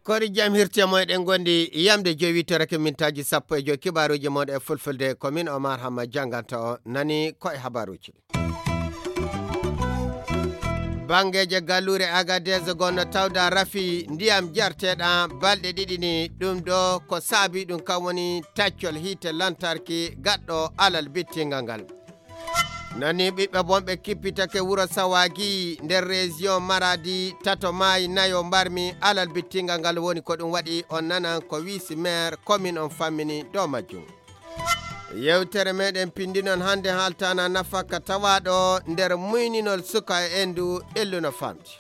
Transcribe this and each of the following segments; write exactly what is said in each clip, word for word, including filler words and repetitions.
Kori jam hirti e moy ɗen gondi yamde jowi torake mintaaji sappo e joy kibaaruji mon e fulfulde ko min Omar Hamma janganta o nani ko e habaruji. Bangeeje galluure Agadez gonno tawda rafi ndiyam jarteɗa balɗe ɗiɗi ni ɗum ɗo ko saabi ɗum kam woni taccol hiite lantarki gaɗɗo alal bittingal ngal. Nani ɓiɓɓe bonɓe kippitake wuro Sawagi nder région Maradi tato maayi nayo mbarmi alal bittingal ngal woni ko ɗum waɗi on nanan ko wisi maire commune on fammini dow majjum. Yewtere meɗen pindinon hannde haaltana nafaka tawaɗo nder muyninol suka e endu illuno famti.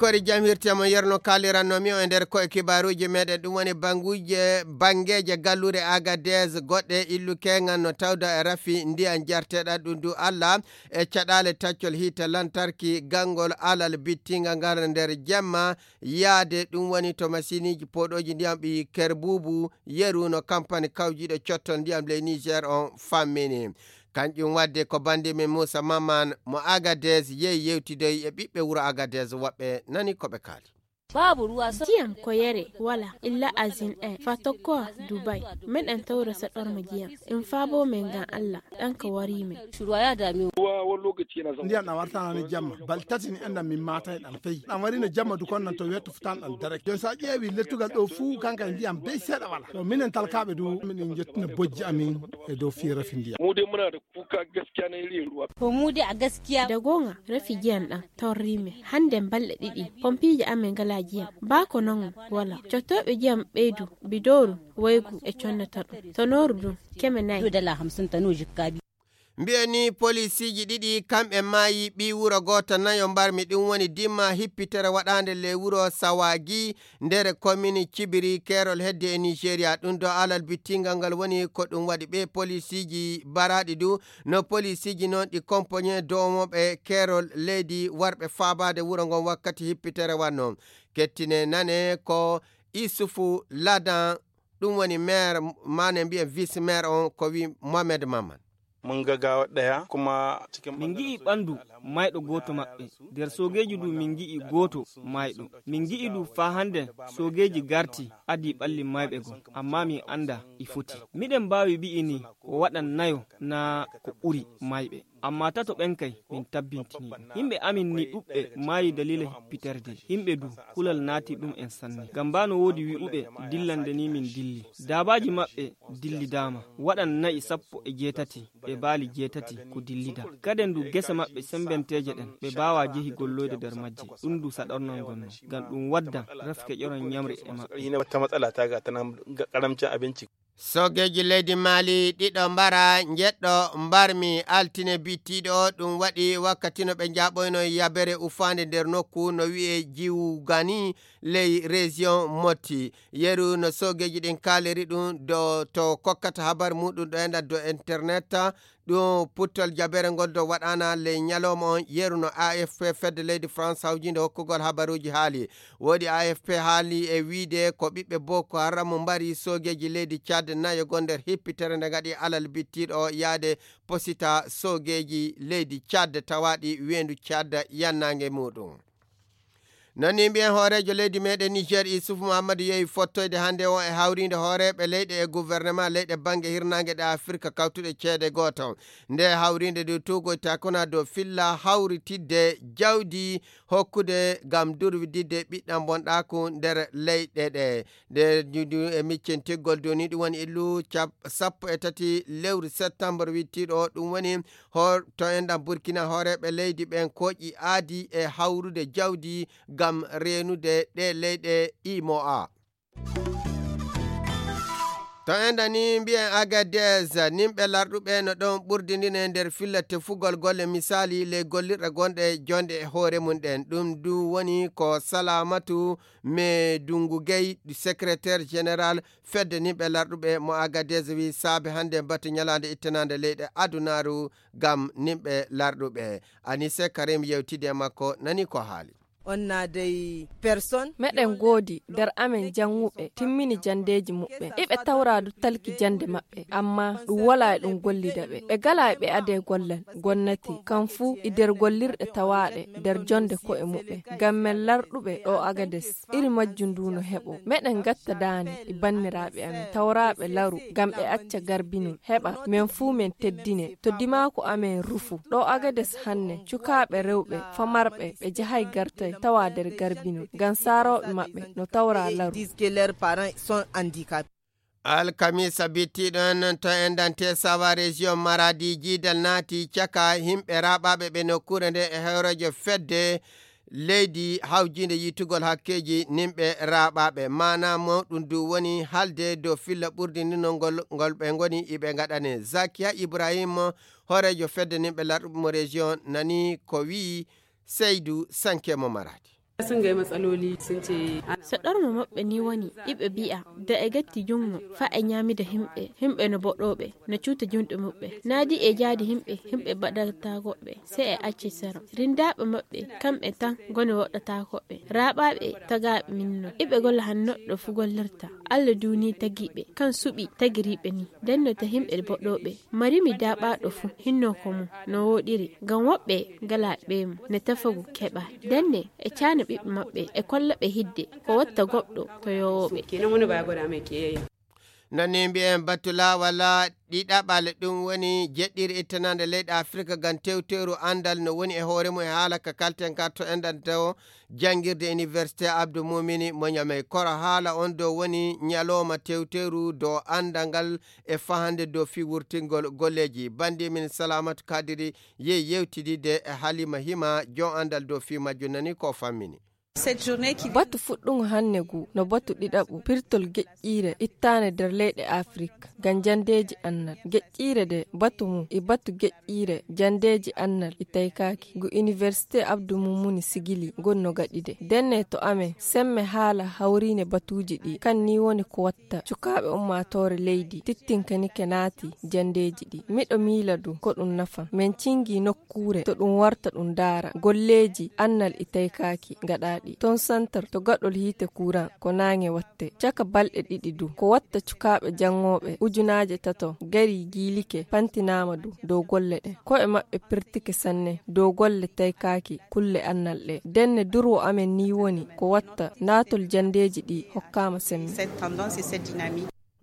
Kori jam hirtiyam on yerno kalirannomi o e nder koye kibaruji meɗen ɗum woni banguje bangeje gallure Agadez goɗɗe illu kengan no tawda e rafi ndiyan jarteɗa ɗum du Allah e caɗale taccol hiite lantarki gangol alal bittinga ngal nder jemma yaade ɗum woni to masiniji poɗoji ndiyam ɓi kerbubu yeru no kampani kawjiɗo cotton ndiyam ley Niger on fammini. Kanƴum waɗde ko bannde men Muusa Mamman mo Agadez yehi yewtidoyi e ɓiɓɓe wuro Agadez woɓɓe nani ko ɓe kaali. Babu ruwa so- Ndiyam ko yere wala illa azin en fa tokko Dubai. Meɗen tawra sa ɗorma ndiyam. In fabo men gan Allah ɗan ka wari men. Shuruwa ya dame mu. Ruwa wani lokaci yana zama. Ndiyan na warta na ni jamma. Bal tati ni enda min mata ɗan fai. Ɗan wari na jamma dukon nan to wetu futan ɗan direct. Don sa ƴeewi lettugal ɗo fu kanka ndiyan bai seɗa wala. To minen talkaɓe du minen jettina bojji amin e dow fira fi ndiyan. Mu dai muna da kuka gaskiya na yin ruwa. Ko mu dai a gaskiya. Da gonga rafi jiyan ɗan torri me hande balɗe ɗiɗi pompiiji amin gala jiyan ba ko non wala cottoɓe jiyan ɓeydu bidoru waygu e connata ɗum tonoru ɗum keme nayi. Dala hamsin tano jikka bi. Mbiyen ni polisiiji ɗiɗi kamɓe maayi ɓii wuro gooto nayo mbarmi ɗum woni dimma hippitere waɗaande ley wuro Sawagi nder komini Cibiri keerol hedde e Nigeria ɗum ɗo alal bittingal ngal woni ko ɗum waɗi ɓe polisiiji baraaɗi du no polisiiji noon ɗi kompoñe dowmoɓe keerol leydi warɓe faabaade wuro ngon wakkati hippitere wanno kettine nane ko Isufu Ladan ɗum woni maire mane mbiyen vice maire on ko wi Mohamed Maman. Mun ga gawa ɗaya kuma cikin min ngi'i ɓandu mayɗo gooto maɓɓe nder soogeeji du min ngi'i gooto mayɗo min ngi'i du faa hande soogeeji garti adi ɓalli mayɓe gon amma min annda i foti miɗen mbaawi mbi'i ni ko waɗan nayo naa ko ɓuri mayɓe amma tato ɓen kay min tabbintini ɗum yimɓe amin ni ɗuɓɓe maayi dalila hippiterde yimɓe du kulal naati ɗum en sanne ngam mbaa no woodi wi'uɓe dillande ni min dilli daabaaji maɓɓe dillidaama waɗan na'i sappo e jeetati e baali jeetati ko dillida kaden du gese maɓɓe sembenteeje ɗen ɓe mbaawaa jehi golloyde nder majje ɗum du saɗornol ngonno ngam ɗum wadda refke ƴoron ñamri e maɓɓe. Hina wata matsala ta ga tana karamcin abinci. Soogeeji leydi Maali ɗiɗo mbara njeɗɗo mbarmi altine bittiiɗo ɗum waɗi wakkati no ɓe njaɓoyno yabere ufaande nder nokku no wi'e Jiwgani ley région Motti. Yeru no soogeeji ɗin kaaliri ɗum do to kokkata habar muɗum ɗo enɗa do internet ɗum puttol jabere ngol do waɗana ley ñalawma on yeru no A F P fedde leydi France hawjinde hokkugol habaruji haali. Woodi A F P haali e wiide ko ɓiɓɓe Boko Haram mbari soogeeji leydi Tchad nayo gol nder hippitere nde ngaɗi alal bittiiɗo o yaade posita soogeeji leydi Tchad tawaaɗi weendu Tchad yannaange muɗum. Nani mbiyen hooreejo leydi meɗen Niger Issoufou Mahamadou yehi fottoyde hannde o e hawriinde hooreeɓe leyɗe e gouvernement leyɗe bannge hirnaange ɗe Afirka kawtuɗe ceede gooto. Nde hawriinde nde tuugoyta kona dow filla hawritidde jawdi hokkude ngam durwididde ɓiɗɗam bonɗaaku nder leyɗe ɗe. Nde juudu e miccen tiggol doni ɗum woni illu cap- sappo e tati lewru septembre wittiiɗo ɗum woni hor to enɗam Burkina hooreeɓe leydi ɓen kooƴi aadi e hawrude jawdi ngam reenude ɗe leyɗe imoa. To enda ni mbiyen Agadez nimɓe larɗuɓe no ɗon ɓurdindine nder filla tefugol golle misaali ley gollirɗe gonɗe jonɗe e hoore mum ɗen ɗum du woni ko Salamatu me Dungu Gey secrétaire général fedde nimɓe larɗuɓe mo Agadez wi saabe hannde batu ñalaande ittanande leyɗe adunaaru ngam nimɓe larɗuɓe. Anise Karim yewtidi e makko nani ko haali. On a des personnes. Meɗen ngoodi nder amen jannguɓe timmini janndeeji muɓɓen. Iɓe tawra du talki jannde maɓɓe, amma ɗum wala e ɗum gollida ɓe. Ɓe gala e ɓe adee gollal gonnati, kam fuu e nder gollirɗe tawaaɗe nder jonnde ko'e muɓɓen. Ngam men larɗuɓe ɗo Agades, iri majjum ndu no heɓo. Meɗen ngatta daane e banniraaɓe amen, tawraaɓe laru, ngam ɓe acca garbinol, heɓa men fuu men teddine. To dimaaku amen rufu. Ɗo Agades hanne, cukaaɓe rewɓe, famarɓe, ɓe jahay gartay, tawa nder garbinol. Ngam saarooɓe maɓɓe no tawra laru. Disent que leurs parents sont handicapés. Alkamisa bittiɗo en to endante sawa région Maradi, jiidal naati caka himɓe raɓaɓe ɓe nokkuure nde e hooreejo fedde leydi hawjiinde yiytugol hakkeeji nimɓe raɓaɓe. Maana mawɗum du woni halde dow filla ɓurdi ni no ngol, ngol ɓe ngoni iɓe ngaɗane. Zakiya Ibrahim, hooreejo fedde nimɓe larɗuɓe mo région, nani ko wi'i Seydu Sanke mo Maradi. Sun ga yi matsaloli sun ce ana. So ɗormo maɓɓe ni woni, iɓe bi'a, da e gatti jungo, fa e ñaamida himɓe, himɓe no boɗooɓe, no cuuta junɗe muɓɓe. Naadi e jaadi himɓe, himɓe baɗata goɓɓe, se e acci sero. Rindaaɓe maɓɓe, kamɓe tan ngoni woɗɗata goɓɓe. Raaɓaaɓe tagaaɓe min no. Iɓe golla han noɗɗo fu gollirta. Alla duuni tagiiɓe, kan suɓi tagiriiɓe ni. Denno ta himɓe boɗooɓe. Marimi daaɓaaɗo fu, hinno ko mum, no wooɗiri. Ngam woɓɓe gala ɓeemu, ne tafagu keɓa. Denne, e caana ɓiɓɓe maɓɓe, e kolla ɓe hidde, ko watta goɗɗo to yowooɓe. Kenan wani ba ya gwada mai kiyayya. Nani mbi'en batu laawal ɗiɗaɓal, ɗum woni jeɗɗiri ittanande leyɗe Afirka ngam tewteru anndal no woni e hoore mum e haala ka kalten ka to enɗan tawo janngirde Université Abdou Mumini mo Ñamey. Koro haala on dow woni ñalooma tewteru dow anndal ngal e fahande dow fii wurtingol golleeji. Bandi min Salamatu Kadiri yehi yewtidide e Halima Hima, jon anndal dow fii majjum, nani ko fammini. Batu fuɗɗungo hannde ngu no batu ɗiɗaɓu pirtol geƴƴiire ittaande nder leyɗe Afirka ngam janndeeji annal. Geƴƴiire nde batu mum e batu geƴƴiire janndeeji annal e taykaaki ngu Université Abdou Mumuni Sigili ngon no gaɗide. Denne to amen semme haala hawriine batuuji ɗi, kan ni woni ko watta cukaaɓe ummaatoore leydi tittinkanike naati janndeeji ɗi. Miɗo miila du ko ɗum nafan. Men cingi nokkuure to ɗum warta ɗum daara golleeji annal e taykaaki gaɗaaɗi. Ton santar to gaɗol hiite kuran ko naange watte. Caka balɗe ɗiɗi du ko watta cukaaɓe janngooɓe ujunaaje tato gari giilike pantinaama du dow golle ɗen. Ko'e maɓɓe pirtike sanne dow golle taykaaki kulle annal ɗe. Denne durwo amen ni woni ko watta naatol janndeeji ɗi hokkaama semme.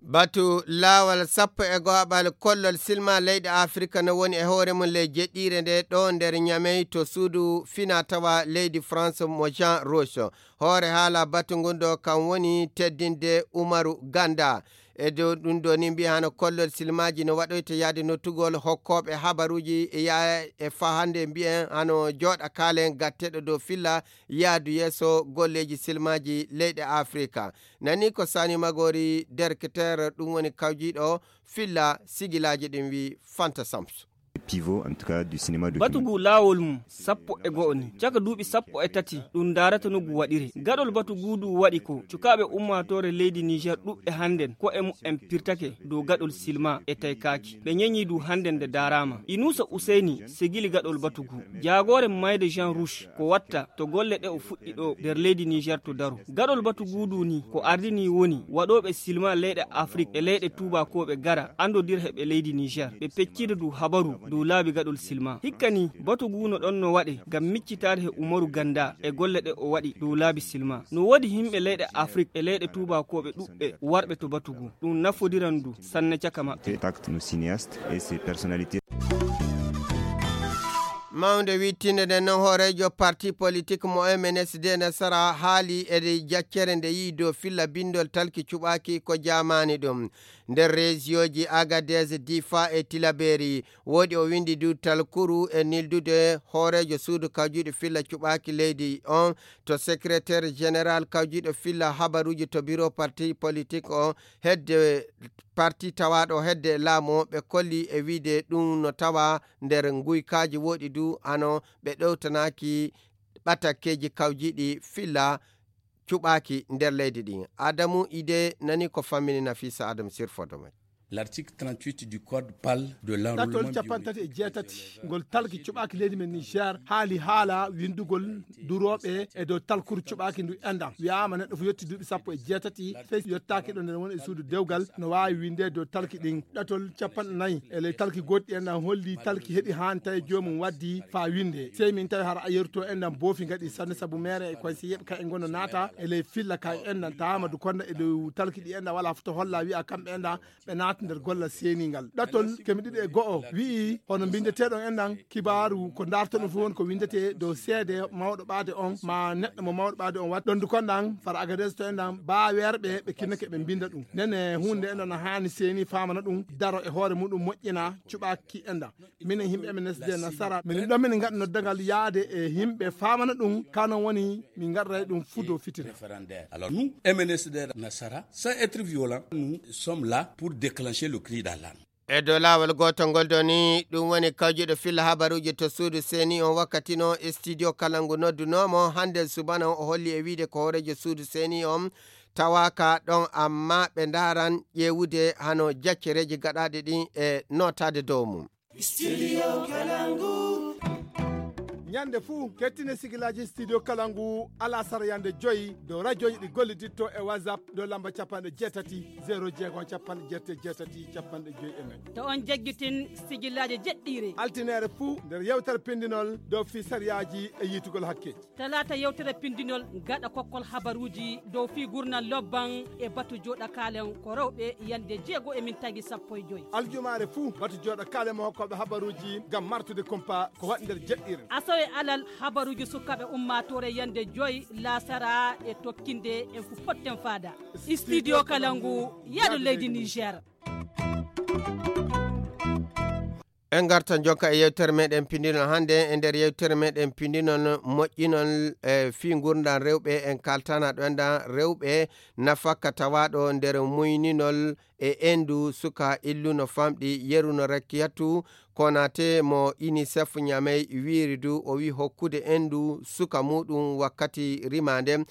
Batu laawal sappo e go'aɓal kollol silma leyɗe Afirka no woni e hoore mum ley jeɗɗiire nde ɗo nder Ñamey to suudu fina tawa leydi France mo Jean Roche. Hoore haala batu ngun ɗo kan woni teddinde Umaru Ganda. E dow ɗum ɗo ni mbiya hano kollol silmaaji no waɗoyta yaade nottugol hokkooɓe habaruuji e ya-, e fahande mbiyen hano jooɗa kaalen gatteɗo dow filla yaadu yeeso golleeji silmaaji leyɗe Afirka. Nani ko Sani Magori, derketeer, ɗum woni kawjiiɗo filla sigilaaji ɗin, wi Fanta Samsu. Pivot, en tout cas, du cinéma documentaire. Batu ngu laawol mum sappo e go'o ni. Caka duuɓi sappo e tati, ɗum ndaarata no ngu waɗiri. Gaɗol batu ngu ndu waɗi ko cukaaɓe ummaatoore leydi Niger ɗuɓɓe hannden ko'e mumen pirtake dow gaɗol silma e taykaaki. Ɓe ñeñi ndu hannden nde daaraama. Inuusa Useyni sigili gaɗol batu ngu. Jaagoore mayde Jean Rouge ko watta to golle ɗe o fuɗɗi ɗo nder leydi Niger to daro. Gaɗol batu ngu ndu ni ko ardini woni waɗooɓe silma leyɗe Afrik e leyɗe tuubakooɓe gara anndodira he ɓe leydi Niger. Ɓe peccida ndu habaru dow laabi gaɗol silma. Hikka ni batu ngu no ɗon no waɗe ngam miccitaade he Umaru Ganda e golle ɗe o waɗi dow laabi silma. No woodi himɓe leyɗe Afrik e leyɗe tuubakooɓe ɗuɓɓe warɓe to batu ngu. Ɗum nafodiran ndu sanne caka maɓɓe. Contact nos cinéastes et ces personnalités. Mawnde wittinde nden non hooreejo parti politik mo M N S D Nasara haali e jaccere nde yi'i dow filla bindol talki cuɓaaki ko jaamaani ɗum. Nder reesiyooji Agadez, Difa e Tilaberi, woodi o windi du talkuru e nildude hooreejo suudu kawjuuɗi filla cuɓaaki leydi on to secrétaire général kawjuuɗo filla habaruuji to biro parti politik o hedde parti tawaaɗo hedde laamu o. Ɓe kolli e wiide ɗum no tawa nder nguykaaji woɗi du hano ɓe ɗowtanaaki ɓatakkeeji kawjiiɗi filla cuɓaaki nder leydi ɗin. Adamu Ide nani ko fammini Nafisa Adam sirfoto men. L'article trente-huit du code parle de l'enrôlement biométrique. Capanɗe tati e jeetati ngol talki cuɓaaki leydi men Niger haali haala winndugol durooɓe e dow talkuru cuɓaaki ndu enɗam. Wiyaama neɗɗo fof yetti duuɓi sappo e jeetati, sey yottaaki ɗo nden woni e suudu dewgal, no waawi winnde dow talki ɗin. Ɗatol capanɗe nayi e ley talki goɗɗi enɗam holli talki heɓi haan tawi joomum waddi faa winnde. Sey min tawi hara a yerto enɗam boofi ngaɗi sanne sabu meere e koye si yeɓe ka e ngono naata e ley filla ka enɗam taama du konda e dow talki ɗi enɗam wala foto holla wi'a kamɓe enɗam ɓe naata nder gollal seeningal. Ɗatol keme ɗiɗi e go'o wi'i hono mbindeteeɗon enɗam kibaaru ko ndaartoɗon fof woni ko winndetee dow seede mawɗo ɓaade on ma neɗɗo mo mawɗo ɓaade on waɗi. Ɗon du konɗam fara Agadez to enɗam baaweerɓe ɓe kinnake ɓe mbinnda ɗum. Nene huunde enɗam no haani seeni faamana ɗum daro e hoore muɗum moƴƴina cuɓaaki enɗam. Minen yimɓe M N S D Nasara, minen ɗon minen ngaɗa noddagal yaade e yimɓe faamana ɗum, ka non woni min ngaɗray ɗum fudo fitira. Alors nous, M N S D Nasara, sans être violent, nous sommes là pour déclencher le cri d'alarme. E dow laawol gootol ngol doni, ɗum woni kawjuɗo filla habaruuji to suudu seeni on wakkati no e studio kala ngu noddunoomo hannde subana o holli e wiide ko hooreejo suudu seeni on tawaaka ɗon, amma ɓe ndaaran ƴeewude hano jaccereeji gaɗaaɗi ɗin e nootaade dow mum. Studio Kalangu. Ñande fuu, kettine sigilaaji Studio Kalangu alasara yande joyi dow rajooji ɗi golliditto e WhatsApp dow lamba capanɗe jeetati, zéro jeegom, capanɗe jeetati e jeetati, capanɗe joyi e nayi. To on jaggitin sigilaaji jeɗɗiire. Altineere fuu nder yewtere pindinol dow fii sariyaaji e yiitugol hakkeeji. Talaata yewtere pindinol gaɗa kokkol habaruuji dow fii gurnal lobban e batu jooɗa kaalen ko rewɓe yande jeego e min tagi sappo e joyi. Aljumaare fuu batu jooɗa kaalen mo hokkooɓe habaruuji ngam martude kumpa ko waɗi nder jeɗɗiire. Asawe alal habaruuji sukaaɓe ummaatoore yande joyi laasara e tokkinde en fu potten faada. Studio Kalangu, yaadu leydi Niger. En ngartan jonka e yewtere meɗen pindinol hannde. E nder yewtere meɗen pindinol moƴƴinol e fii ngurndan rewɓe, en kaltana ɗo enɗan rewɓe nafaka tawaaɗo nder muyninol e endu suka illu no famɗi. Yeru no Rakkiyatu Konate mo UNICEF Ñamey wiiri du o wi hokkude endu suka muɗum wakkati rimaande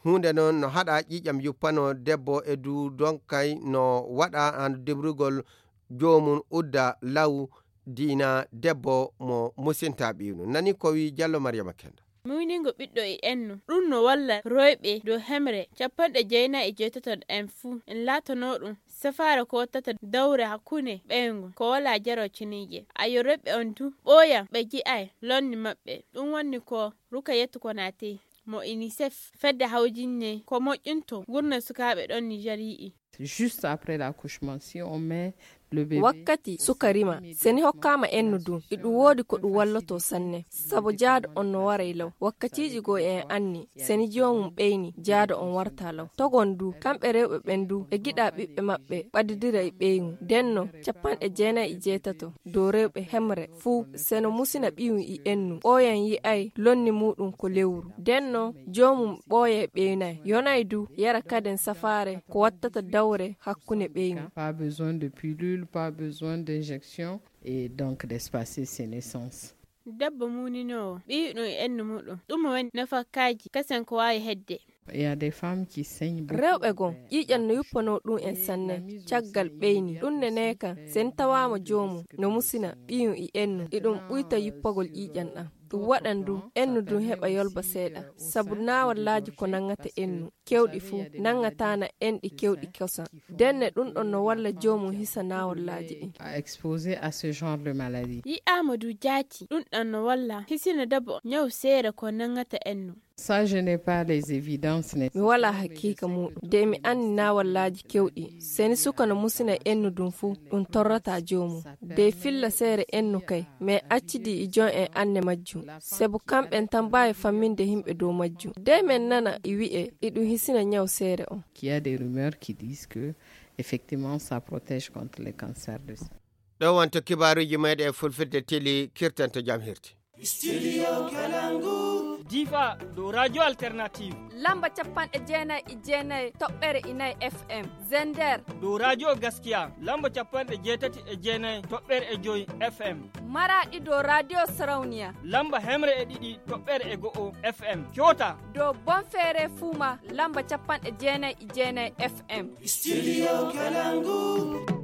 huunde non no haɗa ƴiiƴam yuppano debbo e du donkay no waɗa an debrugol joomum udda law diina debbo mo musinta ɓiwnu. Nani ko wi Jallo Mariama Kenda. Muyningo ɓiɗɗo e ennu, ɗum no walla rewɓe dow hemre capanɗe jeenayi e jeetato en fuu, en laatanoo ɗum safaara ko wattata dawre hakkunde ɓeyngu ko walaa jaro ceniije. Ayo rewɓe on du ɓooya ɓe ji'ay lonni maɓɓe. Ɗum wonni ko Rukayatu Konate mo UNICEF fedde hawjinne ko moƴƴinto ngurndan sukaaɓe ɗon Niger yi'i. Juste après l'accouchement, si on met le bébé wakkati suka rima, seni hokkaama ennu dun, iɗum woodi ko ɗum walloto sanne, sabu jaado on no waray law. Wakkatiiji goo en anni, seni joomum ɓeyni, jaado on warta law. Togon du, kamɓe rewɓe ɓen du, ɓe giɗa ɓiɓɓe maɓɓe ɓadidira e ɓeyngu. Denno, capanɗe jeenayi e jeetato dow rewɓe hemre fuu, seno musina ɓiyum e ennu, ɓooyan yi'ay lonni muuɗum ko lewru. Denno, joomum ɓooyay ɓeynay, yonay du, yara kaden safaare ko wattata dawre hakkunde ɓeyngu. Pas besoin de pilule, pas besoin d'injection. Et donc d'espacer ses naissances. Debbo muuninoowo ɓiyuɗum e ennu muɗum, ɗum woni nafakaaji kasen ko waawi hedde. Il y a des femmes qui saignent beaucoup. Rewɓe goo, ƴiiƴan no yuppanoo ɗum en sanne caggal ɓeyni. Ɗum ne neekan, sen tawaama joomum no musina ɓiyum e ennu, iɗum ɓuyta yuppagol ƴiiƴan ɗan. Ɗum waɗan du ennu dun heɓa yolba seeɗa, sabu naawallaaji ko nangata ennu kewɗi fuu, nangataana enɗi kewɗi kosan. Denne ɗum ɗon no walla joomum hisa naawallaaji ɗin. À exposer à ce genre de maladie. Yi'aama du jaati, ɗum ɗon no walla hisina debbo ñaw seere ko nangata ennu. Ça, je n'ai pas les évidences nécessaires. Mi walaa hakiika muuɗum. De mi anni naawallaaji kewɗi. Seni suka no musina ennu dun fuu, ɗum torrata joomum. De filla seere ennu kay, mais accidi e jon en anne majjum. Sabu kamɓen tan mbaawi famminde yimɓe dow majjum. De men nana e wi'e, iɗum hisina ñaw seere on. Qu'il y a des rumeurs qui disent que, effectivement, ça protège contre les cancers de sein. Ɗo wonto kibaaruuji meɗen e fulfilde tili kirtanto jam hirti. Studio Kalangu. Difa dow Radio Alternative. Lamba capanɗe jeenayi e jeenayi toɓɓere e nayi F M. Zender. Dow Radio Gaskiya, lamba capanɗe jeetati e jeenayi toɓɓere e joyi F M. Maraɗi dow Radio Sarauniya. Lamba hemre e ɗiɗi toɓɓere e go'o F M. Coota. Dow Bonfere Fuma, lamba capanɗe jeenayi e jeenayi F M. Studio Kalangu.